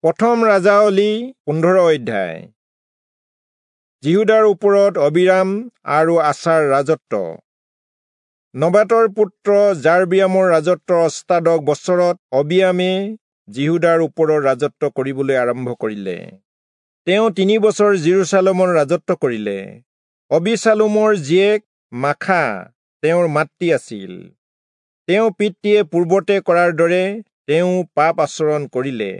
প্ৰথম ৰাজাৱলী 15 অধ্যায়। যিহূদাৰ ওপৰত অবিৰাম আৰু আচাৰ ৰাজত্ব। নবাতৰ পুত্ৰ যাৰবিয়ামৰ ৰাজত্বৰ 18 বছৰত অবিয়ামে যিহূদাৰ ওপৰত ৰাজত্ব কৰিবলৈ আৰম্ভ কৰিলে। তেওঁ 3 বছৰ যিৰূচালেমত ৰাজত্ব কৰিলে। অবিচালোমৰ জীয়েক মাখা তেওঁৰ মাতৃ আছিল। তেওঁ পিতৃয়ে পূৰ্বতে কৰাৰ দৰে তেওঁ পাপ আচৰণ কৰিলে।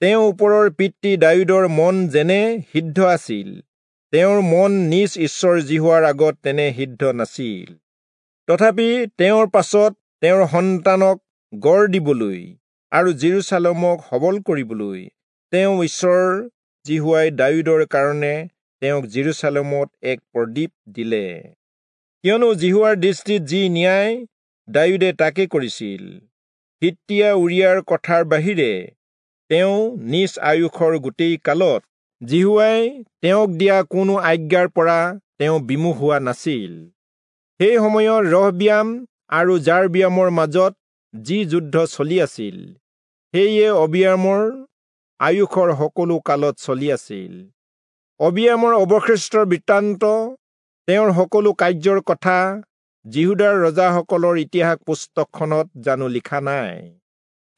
তেওঁ ওপৰৰ পিতৃ দায়ূদৰ মন যেনে সিদ্ধ আছিল, তেওঁৰ মন নিজ ঈশ্বৰ যিহোৱাৰ আগত তেনে সিদ্ধ নাছিল। তথাপি তেওঁৰ পাছত তেওঁৰ সন্তানক গঢ় দিবলৈ আৰু যিৰূচালেমক সবল কৰিবলৈ তেওঁ ঈশ্বৰ যিহোৱাই দায়ূদৰ কাৰণে তেওঁক যিৰূচালেমত এক প্ৰদীপ দিলে। কিয়নো যিহোৱাৰ দৃষ্টিত যি ন্যায় দায়ূদে তাকে কৰিছিল। হিত্তীয়া উৰিয়াৰ কথাৰ বাহিৰে তেওঁ নিজ আয়ুসৰ গোটেই কালত যিহোৱাই তেওঁক দিয়া কোনো আজ্ঞাৰ পৰা তেওঁ বিমুখ হোৱা নাছিল। সেই সময়ত ৰহবিয়াম আৰু যাৰবিয়ামৰ মাজত যি যুদ্ধ চলি আছিল, সেয়ে অবিয়ামৰ আয়ুসৰ সকলো কালত চলি আছিল। অবিয়ামৰ অৱশিষ্টৰ বৃত্তান্ত, তেওঁৰ সকলো কাৰ্যৰ কথা যিহূদাৰ ৰজাসকলৰ ইতিহাস পুস্তকখনত জানো লিখা নাই?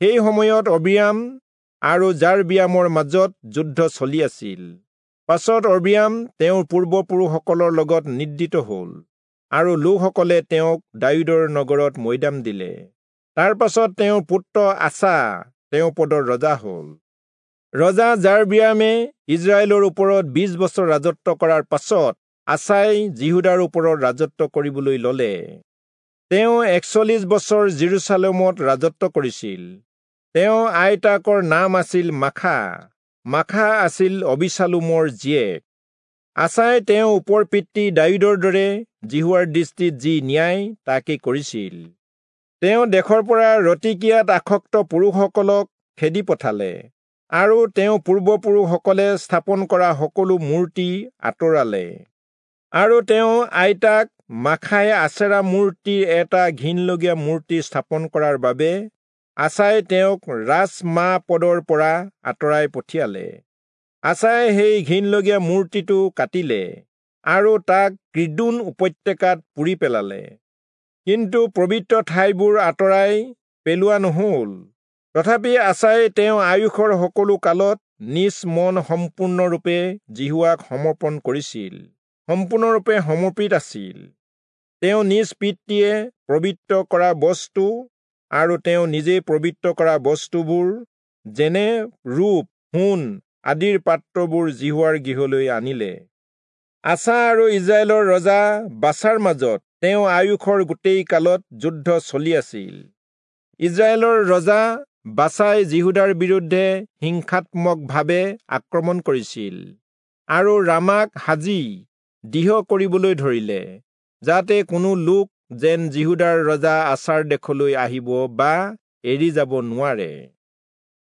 সেই সময়ত অবিয়াম আৰু যাৰবিয়ামৰ মাজত যুদ্ধ চলি আছিল। পাছত অবিয়াম তেওঁৰ পূৰ্বপুৰুষসকলৰ লগত নিদ্ৰিত হল আৰু লোকসকলে তেওঁক দায়ূদৰ নগৰত মৈদাম দিলে। তাৰ পাছত তেওঁৰ পুত্ৰ আছা তেওঁ পদৰ ৰজা হল। ৰজা যাৰবিয়ামে ইজৰাইলৰ ওপৰত 20 বছৰ ৰাজত্ব কৰাৰ পাছত আছাই যিহূদাৰ ওপৰত ৰাজত্ব কৰিবলৈ ললে। তেওঁ 41 বছৰ যিৰূচালেমত ৰাজত্ব কৰিছিল। তেওঁ আইতাকৰ নাম আছিল মাখা। মাখা আছিল অবিচালোমৰ জীয়েক। আছাই তেওঁ ওপৰ পিতৃ দায়ূদৰ দৰে যিহোৱাৰ দৃষ্টিত যি ন্যায় তাকে কৰিছিল। তেওঁ দেশৰ পৰা ৰতিকীয়াত আসক্ত পুৰুষসকলক খেদি পঠালে আৰু তেওঁ পূৰ্বপুৰুষসকলে স্থাপন কৰা সকলো মূৰ্তি আঁতৰালে। আৰু তেওঁ আইতাক মাখাই আচেৰা মূৰ্তিৰ এটা ঘিণলগীয়া মূৰ্তি স্থাপন কৰাৰ বাবে আছাই তেওঁক ৰাজমা পদৰ পৰা আঁতৰাই পঠিয়ালে। আছাই সেই ঘিণলগীয়া মূৰ্তিটো কাটিলে আৰু তাক কিদোন উপত্যকাত পুৰি পেলালে। কিন্তু পবিত্ৰ ঠাইবোৰ আঁতৰাই পেলোৱা নহল। তথাপি আছাই তেওঁ আয়ুসৰ সকলো কালত নিজ মন সম্পূৰ্ণৰূপে যিহোৱাক সমৰ্পণ কৰিছিল, সম্পূৰ্ণৰূপে সমৰ্পিত আছিল। তেওঁ নিজ পিতৃয়ে পবিত্ৰ কৰা বস্তু আৰু তেওঁ নিজে পবিত্ৰ কৰা বস্তুবোৰ, যেনে ৰূপ, সোণ আদিৰ পাত্ৰবোৰ যিহোৱাৰ গৃহলৈ আনিলে। আছা আৰু ইজৰাইলৰ ৰজা বাচাৰ মাজত তেওঁ আয়ুসৰ গোটেই কালত যুদ্ধ চলি আছিল। ইজৰাইলৰ ৰজা বাচাই যিহূদাৰ বিৰুদ্ধে হিংসাত্মকভাৱে আক্ৰমণ কৰিছিল আৰু ৰামাক সাজি দৃঢ় কৰিবলৈ ধৰিলে, যাতে কোনো লোক যেন যিহূদাৰ ৰজা আচাৰ দেশলৈ আহিব বা এৰি যাব নোৱাৰে।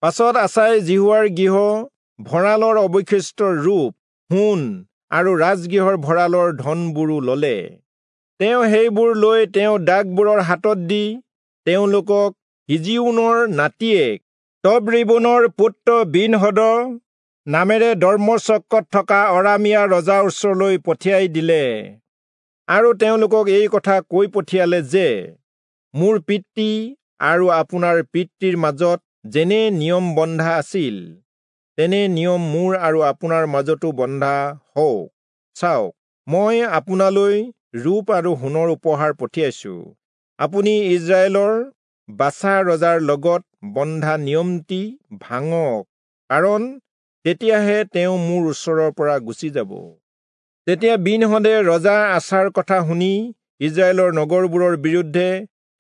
পাছত আচাই যিহোৱাৰ গৃহ ভঁৰালৰ অৱশিষ্ট ৰূপ, সোণ আৰু ৰাজগৃহৰ ভঁৰালৰ ধনবোৰো ললে। তেওঁ সেইবোৰ লৈ তেওঁ দাসবোৰৰ হাতত দি তেওঁলোকক হিজিউনৰ নাতিয়েক তবৰিবোনৰ পুত্ৰ বিনহদ নামেৰে দম্মেচকত থকা অৰামীয়া ৰজাৰ ওচৰলৈ পঠিয়াই দিলে। আৰু তেওঁলোকক এই কথা কৈ পঠিয়ালে যে, মোৰ পিতৃ আৰু আপোনাৰ পিতৃৰ মাজত যেনে নিয়ম বন্ধা আছিল, তেনে নিয়ম মোৰ আৰু আপোনাৰ মাজতো বন্ধা হওক। চাওক, মই আপোনালৈ ৰূপ আৰু সোণৰ উপহাৰ পঠিয়াইছো। আপুনি ইজৰাইলৰ বাচা ৰজাৰ লগত বন্ধা নিয়মটি ভাঙক, কাৰণ তেতিয়াহে তেওঁ মোৰ ওচৰৰ পৰা গুচি যাব। তেতিয়া বিনহদে ৰজা আচাৰ কথা শুনি ইজৰাইলৰ নগৰবোৰৰ বিৰুদ্ধে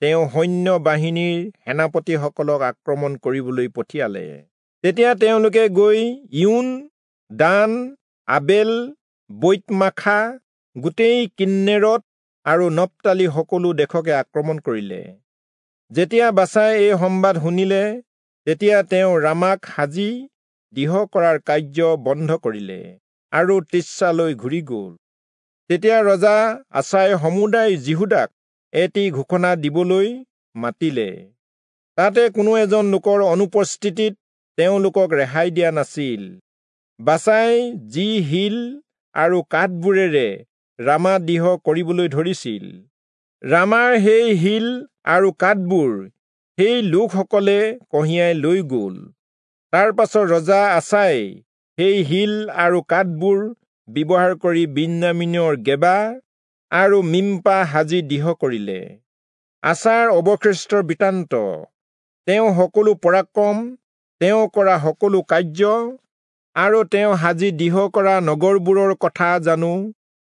তেওঁ সৈন্য বাহিনীৰ সেনাপতিসকলক আক্ৰমণ কৰিবলৈ পঠিয়ালে। তেতিয়া তেওঁলোকে গৈ ইউন, দান, আবেল, বৈতমাখা, গোটেই কিন্নেৰত আৰু নপ্তালি সকলো দেশকে আক্ৰমণ কৰিলে। যেতিয়া বাচাই এই সম্বাদ শুনিলে, তেতিয়া তেওঁ ৰামাক সাজি দৃঢ় কৰাৰ কাৰ্য বন্ধ কৰিলে আৰু তিৰ্চালৈ ঘূৰি গল। তেতিয়া ৰজা আচাই সমুদায় যিহূদাক এটি ঘোষণা দিবলৈ মাতিলে। তাতে কোনো এজন লোকৰ অনুপস্থিতিত তেওঁলোকক ৰেহাই দিয়া নাছিল। বাচাই যি শিল আৰু কাঠবোৰেৰে ৰামা দৃঢ় কৰিবলৈ ধৰিছিল, ৰামাৰ সেই শিল আৰু কাঠবোৰ সেই লোকসকলে কঢ়িয়াই লৈ গ'ল। তাৰ পাছত ৰজা আচাই সেই শিল আৰু কাঠবোৰ ব্যৱহাৰ কৰি বিন্যামীনৰ গেবা আৰু মিম্পা সাজি দৃঢ় কৰিলে। আচাৰ অৱশিষ্টৰ বৃত্তান্ত, তেওঁ সকলো পৰাক্ৰম, তেওঁ কৰা সকলো কাৰ্য আৰু তেওঁ সাজি দৃঢ় কৰা নগৰবোৰৰ কথা জানো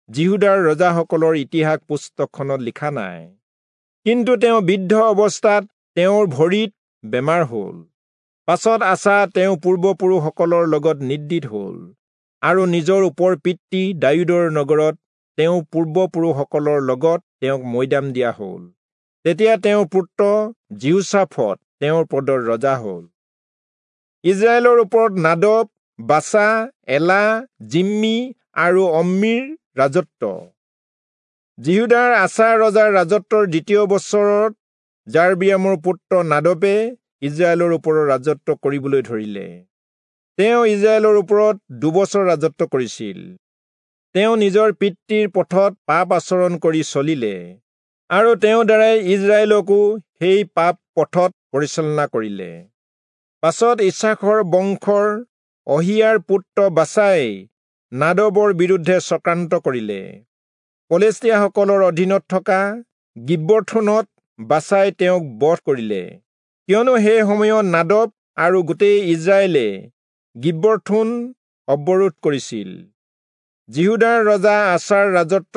যিহূদাৰ ৰজাসকলৰ ইতিহাস পুস্তকখনত লিখা নাই? কিন্তু তেওঁ বৃদ্ধ অৱস্থাত তেওঁৰ ভৰিত বেমাৰ হ'ল। পাছত আচা তেওঁ পূৰ্বপুৰুষসকলৰ লগত নিদ্ৰিত হ'ল আৰু নিজৰ ওপৰ পিতৃ দায়ূদৰ নগৰত তেওঁ পূৰ্বপুৰুষসকলৰ লগত তেওঁক মৈদাম দিয়া হ'ল। তেতিয়া তেওঁৰ পুত্ৰ যিহোচাফট তেওঁৰ পদৰ ৰজা হ'ল। ইজৰাইলৰ ওপৰত নাদব, বাচা, এলা, জিম্মি আৰু অম্মীৰ ৰাজত্ব। যিহূদাৰ আচা ৰজাৰ ৰাজত্বৰ দ্বিতীয় বছৰত যাৰবিয়ামৰ পুত্ৰ নাদবে ইজৰাইলৰ ওপৰত ৰাজত্ব কৰিবলৈ ধৰিলে। তেওঁ ইজৰাইলৰ ওপৰত 2 বছৰ ৰাজত্ব কৰিছিল। তেওঁ নিজৰ পিতৃৰ পথত পাপ আচৰণ কৰি চলিলে আৰু তেওঁৰ দ্বাৰাই ইজৰাইলকো সেই পাপ পথত পৰিচালনা কৰিলে। পাছত ইছাখৰ বংশৰ অহিয়াৰ পুত্ৰ বাচাই নাদবৰ বিৰুদ্ধে চক্ৰান্ত কৰিলে। পলেষ্টীয়াসকলৰ অধীনত থকা গিব্বথোনত বাচাই তেওঁক বধ কৰিলে, কিয়নো সেই সময়ত নাদব আৰু গোটেই ইজৰাইলে গিব্বথোন অৱৰোধ কৰিছিল। যিহূদাৰ ৰজা আচাৰ ৰাজত্ব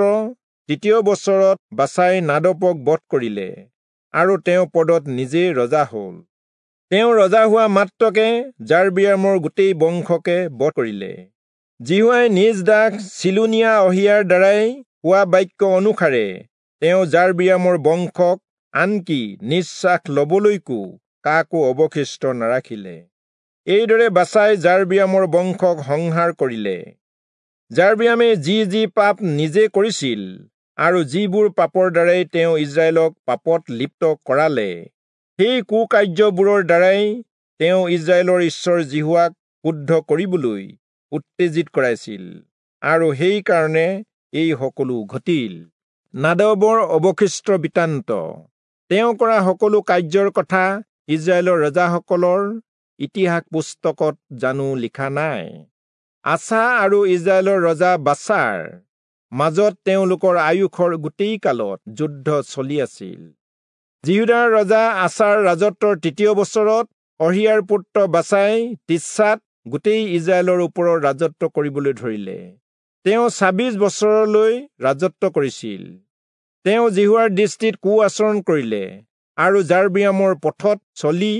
তৃতীয় বছৰত বাচাই নাদবক বধ কৰিলে আৰু তেওঁ পদত নিজেই ৰজা হ'ল। তেওঁ ৰজা হোৱা মাত্ৰকে যাৰবিয়ামৰ গোটেই বংশকে বধ কৰিলে। যিহোৱাই নিজ দাস চিলোনীয়া অহিয়াৰ দ্বাৰাই কোৱা বাক্য অনুসাৰে তেওঁ যাৰবিয়ামৰ বংশক আনকি নিশ্বাস লবলৈকো কাকো অৱশিষ্ট নাৰাখিলে। এইদৰে বাচাই যাৰবিয়ামৰ বংশক সংহাৰ কৰিলে। যাৰবিয়ামে যি যি পাপ নিজে কৰিছিল আৰু যিবোৰ পাপৰ দ্বাৰাই তেওঁ ইজৰাইলক পাপত লিপ্ত কৰালে, সেই কুকাৰ্যবোৰৰ দ্বাৰাই তেওঁ ইজৰাইলৰ ঈশ্বৰ যিহোৱাক ক্ৰুদ্ধ কৰিবলৈ উত্তেজিত কৰাইছিল আৰু সেইকাৰণে এই সকলো ঘটিল। নাদবৰ অৱশিষ্ট বৃত্তান্ত, তেওঁ কৰা সকলো কাৰ্যৰ কথা ইজৰাইলৰ ৰজাসকলৰ ইতিহাস পুস্তকত জানো লিখা নাই? আচা আৰু ইজৰাইলৰ ৰজা বাচাৰ মাজত তেওঁলোকৰ আয়ুসৰ গোটেই কালত যুদ্ধ চলি আছিল। যিহূদাৰ ৰজা আচাৰ ৰাজত্বৰ তৃতীয় বছৰত অহিয়াৰ পুত্ৰ বাচাই তিৰ্চাত গোটেই ইজৰাইলৰ ওপৰত ৰাজত্ব কৰিবলৈ ধৰিলে। তেওঁ 26 বছৰলৈ ৰাজত্ব কৰিছিল। তেওঁ যিহোৱাৰ দৃষ্টিত কু আচৰণ কৰিলে আৰু যাৰবিয়ামৰ পথত চলি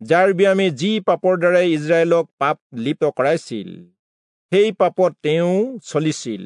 যাৰবিয়ামে যি পাপৰ দ্বাৰাই ইজৰাইলক পাপ লিপ্ত কৰাইছিল, সেই পাপত তেওঁ চলিছিল।